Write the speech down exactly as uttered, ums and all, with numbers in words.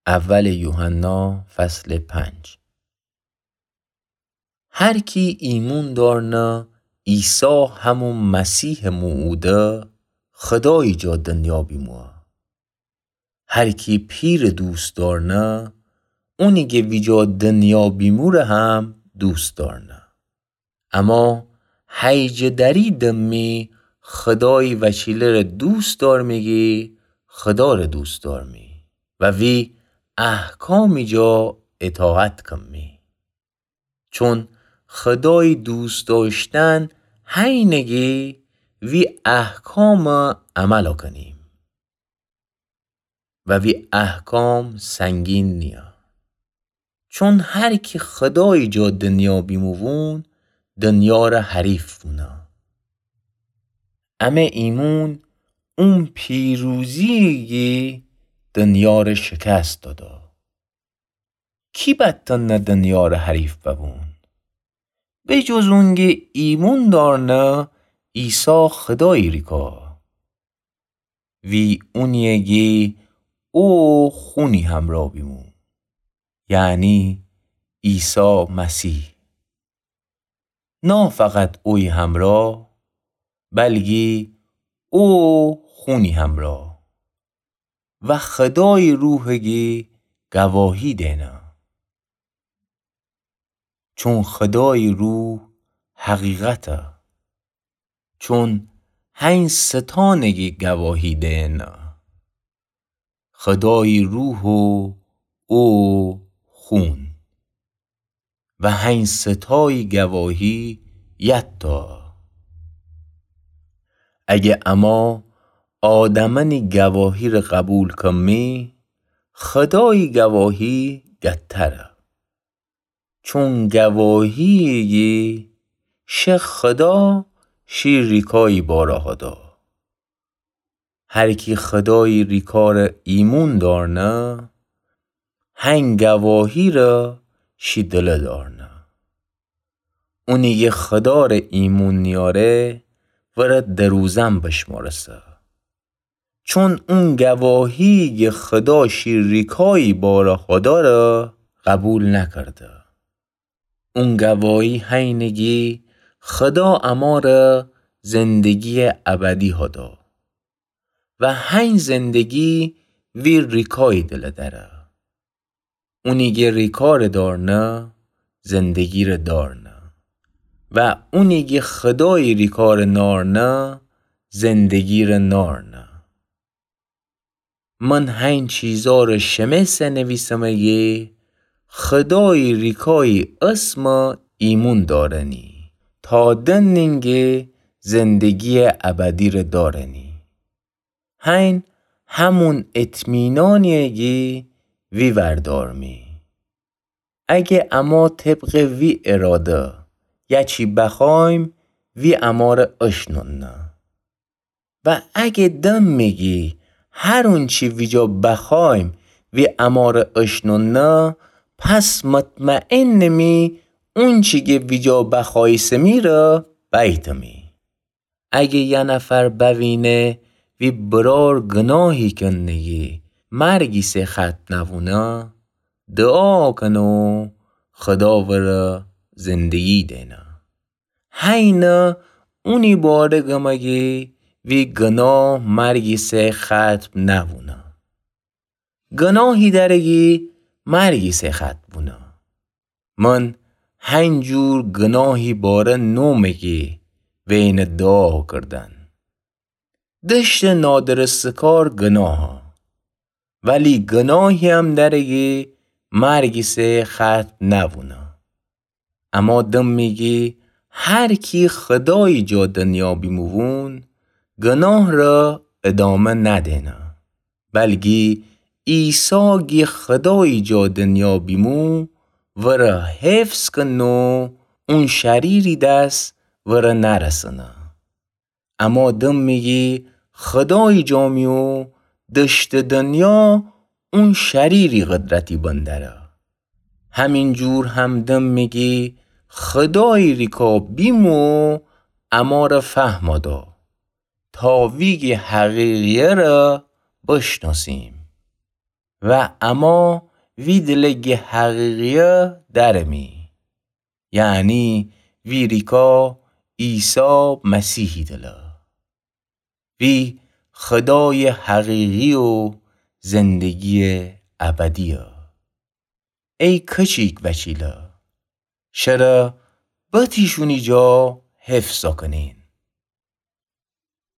اول یوحنا فصل پنج. هر کی ایمون دارنه عیسی همو مسیح مو اوده، خدایی جا دنیا بیموه. هر کی پیر دوست دارنه، اونی گه ویجا دنیا بیموره هم دوست دارنه. اما هیجه دری دمی خدایی وچیله‌ره دوست دارمی گی خداره دوست دارمی و وی احکامی جا اطاعت کمی. چون خدایی دوست داشتن هینه گی وی احکام عمل کنیم. و وی احکام سنگین نیه. چون هر کی خدایی جا دنیا بیموون، دنیا ره حریف بونه. امه ایمون اون پیروزیه گی دنیا ره شکست داده. کی بتنه دنیا ره حریف ببون؟ به جز اونگی ایمون دارنه عیسی خدایی ریکا. وی اونیه گی او خونی همرا بیمو، یعنی عیسی مسیح. نه فقط اوی همرا، بلگی او خونی همرا و خدایی روح گی گواهی دینه. چون خدایی روح حقیقته. چون هین ستانه گی گواهی دینه. خدایی روح و او خون و هین ستایی گواهی یتا. اگه اما آدمأنی گواهی ره قبول کمی، خدایی گواهی گتره. چون گواهیه گی شه خدا شی ریکایی باره هدا. هر کی خدایی ریکا ره ایمون دارنه، هین گواهی ره شی دله دارنه. اونی گی خدا ره ایمون نیاره، وره دروزن بشمارسه. چون اون گواهیی گی خدا شی ریکایی باره هدا ره قبول نکرده. اون گواهی هینه گی خدا اماره زندگی ابدی هدا و هین زندگی وی ریکایی دله دره. اونی گی ریکا ره دارنه، زندگی ره دارنه و اونی گی خدایی ریکا ره نارنه، زندگی ره نارنه. من هین چیزا ره شمه سه نویسمه گی خدایی ریکایی اسم ایمون دارنی، تا دنین گی زندگی ابدی ره دارنی. هین همون اطمینانیه گی وی وردارمی. اگه اما طبق وی اراده یه چی بخوایم، وی اماره اشنونه. و اگه دمی گی هر اونچی ویجا بخوایم وی اماره اشنونه، پس مطمئنمی اونچی گی ویجا بخوایسمی ره بیتمی. اگه یه نفر بوینه وی برار گناهی کنه گی مرگی سه ختم نوونه، دعا کنه و خدا وره زندگی دینه. هینه اونی باره گمه گی وی گناه مرگی سه ختم نوونه. گناهی دره گی مرگی سه ختم بونه. من هین جور گناهی باره نومه گی وینه دعا کردن. دشت نادرستکار گناهه، ولی گناهی هم دره گی مرگی سه ختم نوونه. اما دمی گی هر کی خدایی جا دنیا بیموون، گناه ره ادامه ندینه. بلگی عیسی گی خدایی جا دنیا بیمو، وره حفظ کنه و اون شریری دس وره نرسنه. اما دمی گی خدایی جا می و دشت دنیا اون شریری قدرتی بندره. همین جور هم دمی گی خدایی ریکا بیمو اماره فهما دا، تا ویگی حقیقیه ره بشناسیم. و امأ وی دلٚ گه حقیقیی دأرمی، یعنی وی ریکا عیسی مسیحی دله. وی خودایٚ حقیقی و زندگییٚ ابدییه. ای کچیک وچیله، شره بتیشونی جا حفظ کنین.